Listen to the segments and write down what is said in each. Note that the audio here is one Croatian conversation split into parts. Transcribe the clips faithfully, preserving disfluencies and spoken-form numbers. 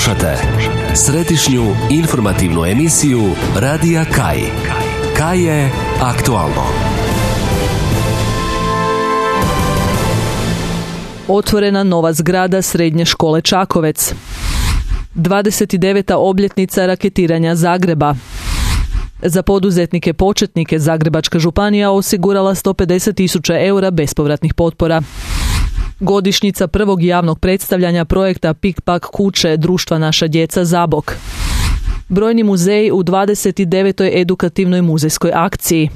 Slušate središnju informativnu emisiju Radija Kaj. Kaj je aktualno. Otvorena nova zgrada Srednje škole Čakovec. dvadeset deveta obljetnica raketiranja Zagreba. Za poduzetnike početnike Zagrebačka županija osigurala sto pedeset tisuća eura bespovratnih potpora. Godišnjica prvog javnog predstavljanja projekta Pik-Pak kuće društva Naša djeca Zabok. Brojni muzeji u dvadeset devetoj edukativnoj muzejskoj akciji.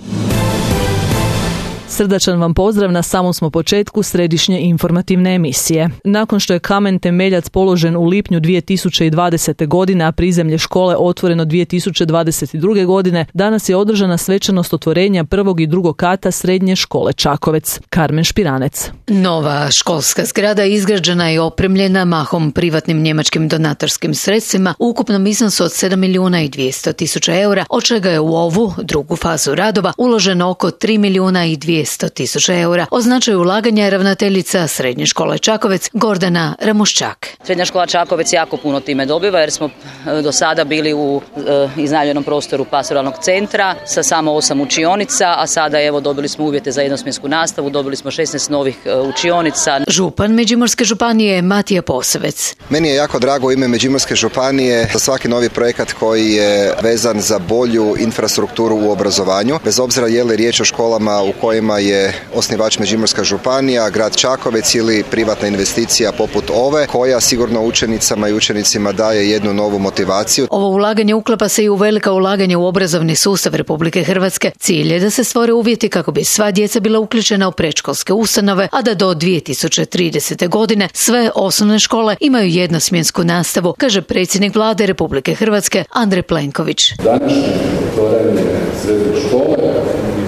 Srdačan vam pozdrav, na samom smo početku središnje informativne emisije. Nakon što je kamen temeljac položen u lipnju dvije tisuće dvadesete. godine, a prizemlje škole otvoreno dvije tisuće dvadeset druge. godine, danas je održana svečanost otvorenja prvog i drugog kata Srednje škole Čakovec. Karmen Špiranec. Nova školska zgrada izgrađena i opremljena mahom privatnim njemačkim donatorskim sredstvima u ukupnom iznosu od sedam milijuna i dvjesto tisuća eura, od čega je u ovu drugu fazu radova uloženo oko tri milijuna i dvjesto tisuća eura. O značaju ulaganja je ravnateljica Srednje škole Čakovec Gordana Ramuščak. Srednja škola Čakovec jako puno time dobiva jer smo do sada bili u e, iznajmljenom prostoru pastoralnog centra sa samo osam učionica, a sada evo dobili smo uvjete za jednosmjensku nastavu, dobili smo šesnaest novih e, učionica. Župan Međimurske županije Matija Posavec. Meni je jako drago u ime Međimurske županije za svaki novi projekat koji je vezan za bolju infrastrukturu u obrazovanju, bez obzira je li riječ o školama u kojima je osnivač Međimurska županija, grad Čakovec ili privatna investicija poput ove, koja sigurno učenicama i učenicima daje jednu novu motivaciju. Ovo ulaganje uklapa se i u velika ulaganja u obrazovni sustav Republike Hrvatske. Cilj je da se stvore uvjeti kako bi sva djeca bila uključena u predškolske ustanove, a da do dvije tisuće tridesete. godine sve osnovne škole imaju jednosmjensku nastavu, kaže predsjednik vlade Republike Hrvatske Andrej Plenković. Današnje otvaranje srednje škole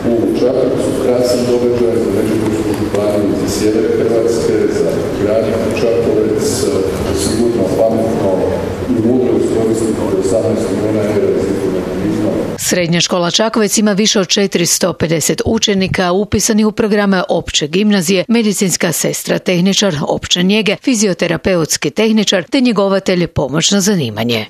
u Čakovcu krasan događaj za Međimursku županiju, za sjever Hrvatske, za grad Čakovec, sigurno pametno i mudro iskoristiti osamnaest milijuna eura iz mehanizma. Srednja škola Čakovec ima više od četiristo pedeset učenika upisanih u programe opće gimnazije, medicinska sestra, tehničar opće njege, fizioterapeutski tehničar te njegovatelj pomoćno zanimanje.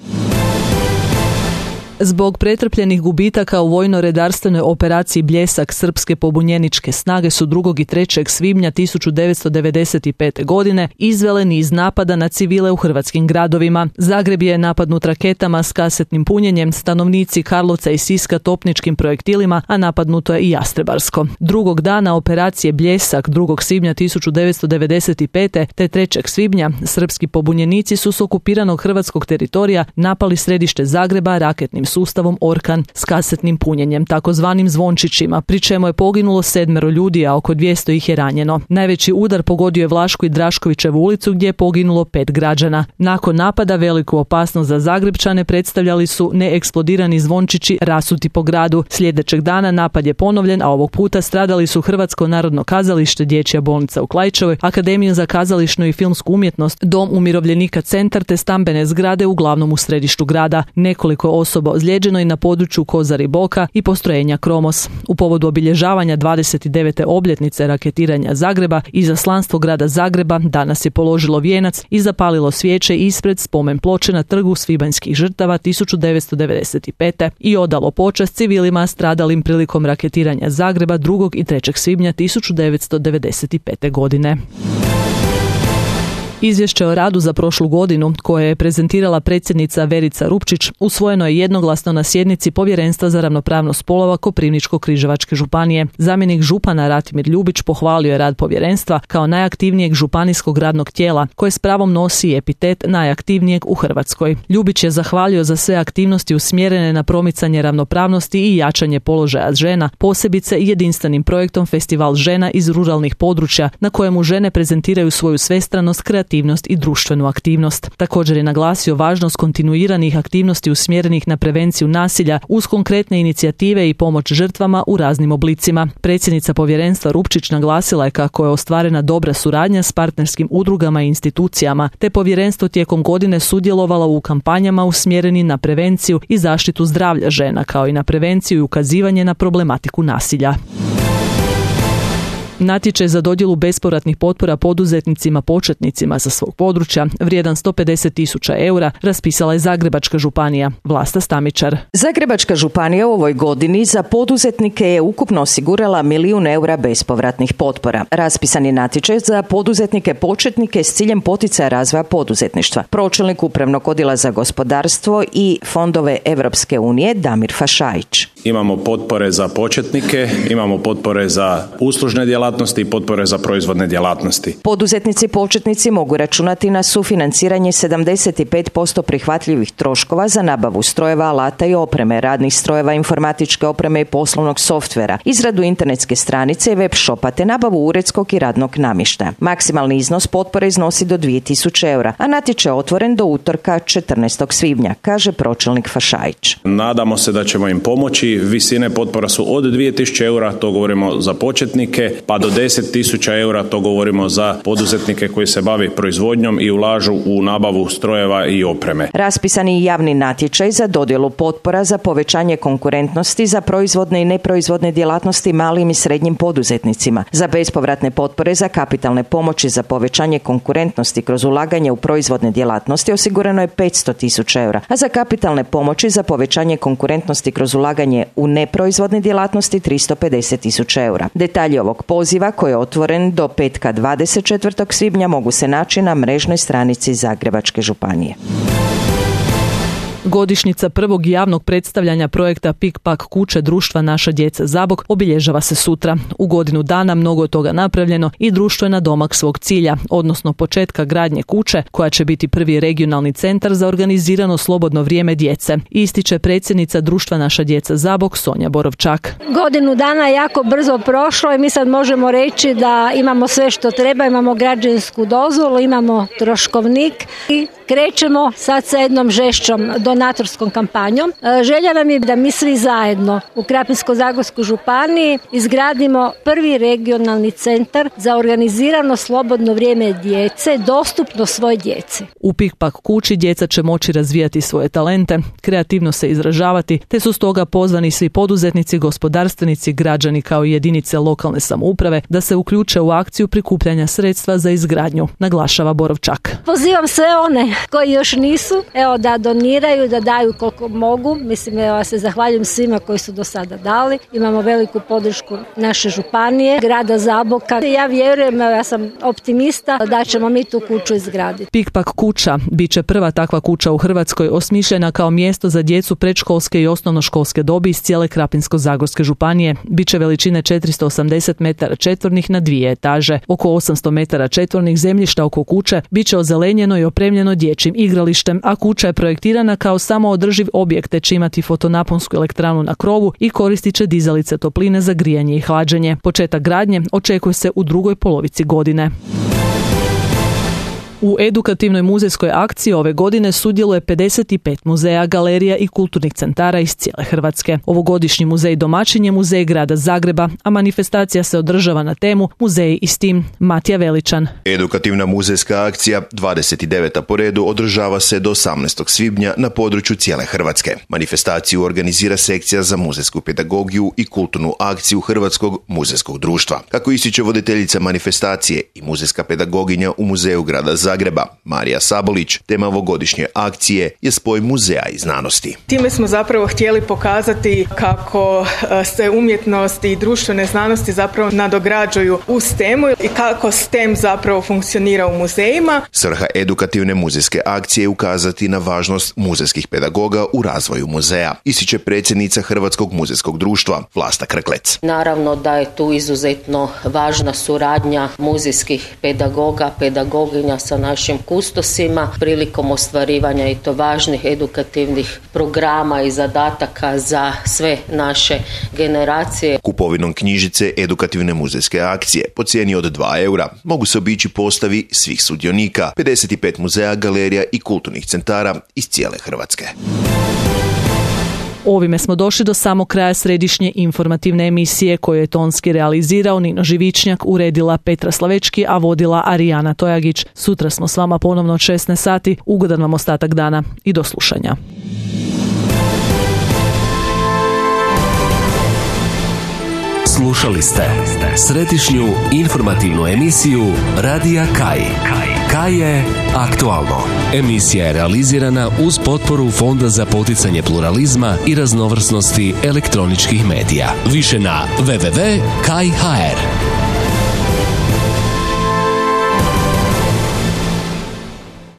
Zbog pretrpljenih gubitaka u vojno-redarstvenoj operaciji Bljesak srpske pobunjeničke snage su drugog i trećeg svibnja tisuću devetsto devedeset pete. godine izvele niz napada na civile u hrvatskim gradovima. Zagreb je napadnut raketama s kasetnim punjenjem, stanovnici Karlovca i Siska topničkim projektilima, a napadnuto je i Jastrebarsko. Drugog dana operacije Bljesak drugog svibnja tisuću devetsto devedeset pete. te trećeg svibnja srpski pobunjenici su s okupiranog hrvatskog teritorija napali središte Zagreba raketnim sustavom Orkan s kasetnim punjenjem, takozvanim zvončićima, pri čemu je poginulo sedmero ljudi, a oko dvjesto ih je ranjeno. Najveći udar pogodio je Vlašku i Draškovićevu ulicu gdje je poginulo pet građana. Nakon napada veliku opasnost za Zagrebčane predstavljali su neeksplodirani zvončići rasuti po gradu. Sljedećeg dana napad je ponovljen, a ovog puta stradali su Hrvatsko narodno kazalište, Dječja bolnica u Klaićevoj, Akademija za kazališnu i filmsku umjetnost, Dom umirovljenika Centar te stambene zgrade uglavnom u središtu grada. Nekoliko osoba ozlijeđeno i na području Kozari Boka i postrojenja Kromos. U povodu obilježavanja dvadeset devete obljetnice raketiranja Zagreba, izaslanstvo grada Zagreba danas je položilo vijenac i zapalilo svijeće ispred spomen ploče na trgu svibanjskih žrtava tisuću devetsto devedeset pete. i odalo počast civilima stradalim prilikom raketiranja Zagreba drugog i trećeg svibnja tisuću devetsto devedeset pete. godine. Izvješće o radu za prošlu godinu, koje je prezentirala predsjednica Verica Rupčić, usvojeno je jednoglasno na sjednici Povjerenstva za ravnopravnost spolova Koprivničko-križevačke županije. Zamjenik župana Ratimir Ljubić pohvalio je rad povjerenstva kao najaktivnijeg županijskog radnog tijela, koje s pravom nosi epitet najaktivnijeg u Hrvatskoj. Ljubić je zahvalio za sve aktivnosti usmjerene na promicanje ravnopravnosti i jačanje položaja žena, posebice jedinstvenim projektom Festival žena iz ruralnih područja, na kojemu žene prezentiraju svoju svestranost, kreativnost i društvenu aktivnost. Također je naglasio važnost kontinuiranih aktivnosti usmjerenih na prevenciju nasilja uz konkretne inicijative i pomoć žrtvama u raznim oblicima. Predsjednica povjerenstva Rupčić naglasila je kako je ostvarena dobra suradnja s partnerskim udrugama i institucijama, te povjerenstvo tijekom godine sudjelovalo u kampanjama usmjereni na prevenciju i zaštitu zdravlja žena, kao i na prevenciju i ukazivanje na problematiku nasilja. Natječaj za dodjelu bespovratnih potpora poduzetnicima početnicima sa svog područja, vrijedan sto pedeset tisuća eura, raspisala je Zagrebačka županija. Vlasta Stamičar. Zagrebačka županija u ovoj godini za poduzetnike je ukupno osigurala milijun eura bespovratnih potpora. Raspisan je natječaj za poduzetnike početnike s ciljem poticaja razvoja poduzetništva. Pročelnik upravnog odjela za gospodarstvo i fondove Europske unije Damir Fašajić. Imamo potpore za početnike, imamo potpore za uslužne djelatnosti i potpore za proizvodne djelatnosti. Poduzetnici početnici mogu računati na sufinanciranje sedamdeset pet posto prihvatljivih troškova za nabavu strojeva, alata i opreme, radnih strojeva, informatičke opreme i poslovnog softvera, izradu internetske stranice i web shopa te nabavu uredskog i radnog namještaja. Maksimalni iznos potpore iznosi do dvije tisuće eura, a natječaj je otvoren do utorka četrnaestog svibnja, kaže pročelnik Fašajić. Nadamo se da ćemo im pomoći. Visine potpora su od dvije tisuće eura, to govorimo za početnike, pa do deset tisuća eura, to govorimo za poduzetnike koji se bavi proizvodnjom i ulažu u nabavu strojeva i opreme. Raspisani javni natječaj za dodjelu potpora za povećanje konkurentnosti za proizvodne i neproizvodne djelatnosti malim i srednjim poduzetnicima, za bespovratne potpore za kapitalne pomoći za povećanje konkurentnosti kroz ulaganje u proizvodne djelatnosti osigurano je petsto tisuća eura, a za kapitalne pomoći za povećanje konkurentnosti kroz ulaganje u neproizvodne djelatnosti tristo pedeset tisuća eura. Detalji ovog poziva, koji je otvoren do petka dvadeset četvrtog svibnja, mogu se naći na mrežnoj stranici Zagrebačke županije. Godišnjica prvog javnog predstavljanja projekta Pik-Pak kuće društva Naša djeca Zabok obilježava se sutra. U godinu dana mnogo je toga napravljeno i društvo je na domak svog cilja, odnosno početka gradnje kuće koja će biti prvi regionalni centar za organizirano slobodno vrijeme djece. Ističe predsjednica društva Naša djeca Zabok Sonja Borovčak. Godinu dana je jako brzo prošlo i mi sad možemo reći da imamo sve što treba, imamo građevinsku dozvolu, imamo troškovnik i krećemo sad sa jednom žešćom donatorskom kampanjom. Želja nam je da mi svi zajedno u Krapinsko-zagorskoj županiji izgradimo prvi regionalni centar za organizirano slobodno vrijeme djece, dostupno svoj djeci. U Pik-Pak kući djeca će moći razvijati svoje talente, kreativno se izražavati, te su stoga pozvani svi poduzetnici, gospodarstvenici, građani kao i jedinice lokalne samouprave da se uključe u akciju prikupljanja sredstva za izgradnju, naglašava Borovčak. Pozivam sve one koji još nisu, evo da doniraju, da daju koliko mogu. Mislim, evo, ja se zahvaljujem svima koji su do sada dali. Imamo veliku podršku naše županije, grada Zaboka. Ja vjerujem, evo, ja sam optimista da ćemo mi tu kuću izgraditi. Pik-Pak kuća bit će prva takva kuća u Hrvatskoj osmišljena kao mjesto za djecu predškolske i osnovnoškolske dobi iz cijele Krapinsko-zagorske županije. Biće veličine četiristo osamdeset metara četvornih na dvije etaže. Oko osamsto metara četvornih zemljišta oko kuće biće ozelenjeno i opremljeno dječjim igralištem, a kuća je projektirana kao samoodrživ objekt te će imati fotonaponsku elektranu na krovu i koristit će dizalice topline za grijanje i hlađenje. Početak gradnje očekuje se u drugoj polovici godine. U edukativnoj muzejskoj akciji ove godine sudjeluje pedeset pet muzeja, galerija i kulturnih centara iz cijele Hrvatske. Ovogodišnji muzej domaćin je Muzej grada Zagreba, a manifestacija se održava na temu Muzeji i s tim. Matija Veličan. Edukativna muzejska akcija, dvadeset deveta po redu, održava se do osamnaestog svibnja na području cijele Hrvatske. Manifestaciju organizira sekcija za muzejsku pedagogiju i kulturnu akciju Hrvatskog muzejskog društva. Kako ističe voditeljica manifestacije i muzejska pedagoginja u Muzeju grada Zagreba, Marija Sabolić, tema ovogodišnje akcije je spoj muzeja i znanosti. Time smo zapravo htjeli pokazati kako se umjetnost i društvene znanosti zapravo nadograđuju uz temu i kako S T E M zapravo funkcionira u muzejima. Svrha edukativne muzejske akcije je ukazati na važnost muzejskih pedagoga u razvoju muzeja, ističe predsjednica Hrvatskog muzejskog društva Vlasta Krklec. Naravno da je tu izuzetno važna suradnja muzejskih pedagoga, pedagoginja sa našim kustosima prilikom ostvarivanja i to važnih edukativnih programa i zadataka za sve naše generacije. Kupovinom knjižice edukativne muzejske akcije po cijeni od dva eura mogu se obići postavi svih sudionika, pedeset pet muzeja, galerija i kulturnih centara iz cijele Hrvatske. Ovime smo došli do samog kraja središnje informativne emisije koju je tonski realizirao Nino Živičnjak, uredila Petra Slavečki, a vodila Arijana Tojagić. Sutra smo s vama ponovno od šesnaest sati. Ugodan vam ostatak dana i do slušanja. Slušali ste središnju informativnu emisiju Radija Kaj. Kaj je aktualno. Emisija je realizirana uz potporu Fonda za poticanje pluralizma i raznovrsnosti elektroničkih medija. Više na w w w tačka kaj tačka h r.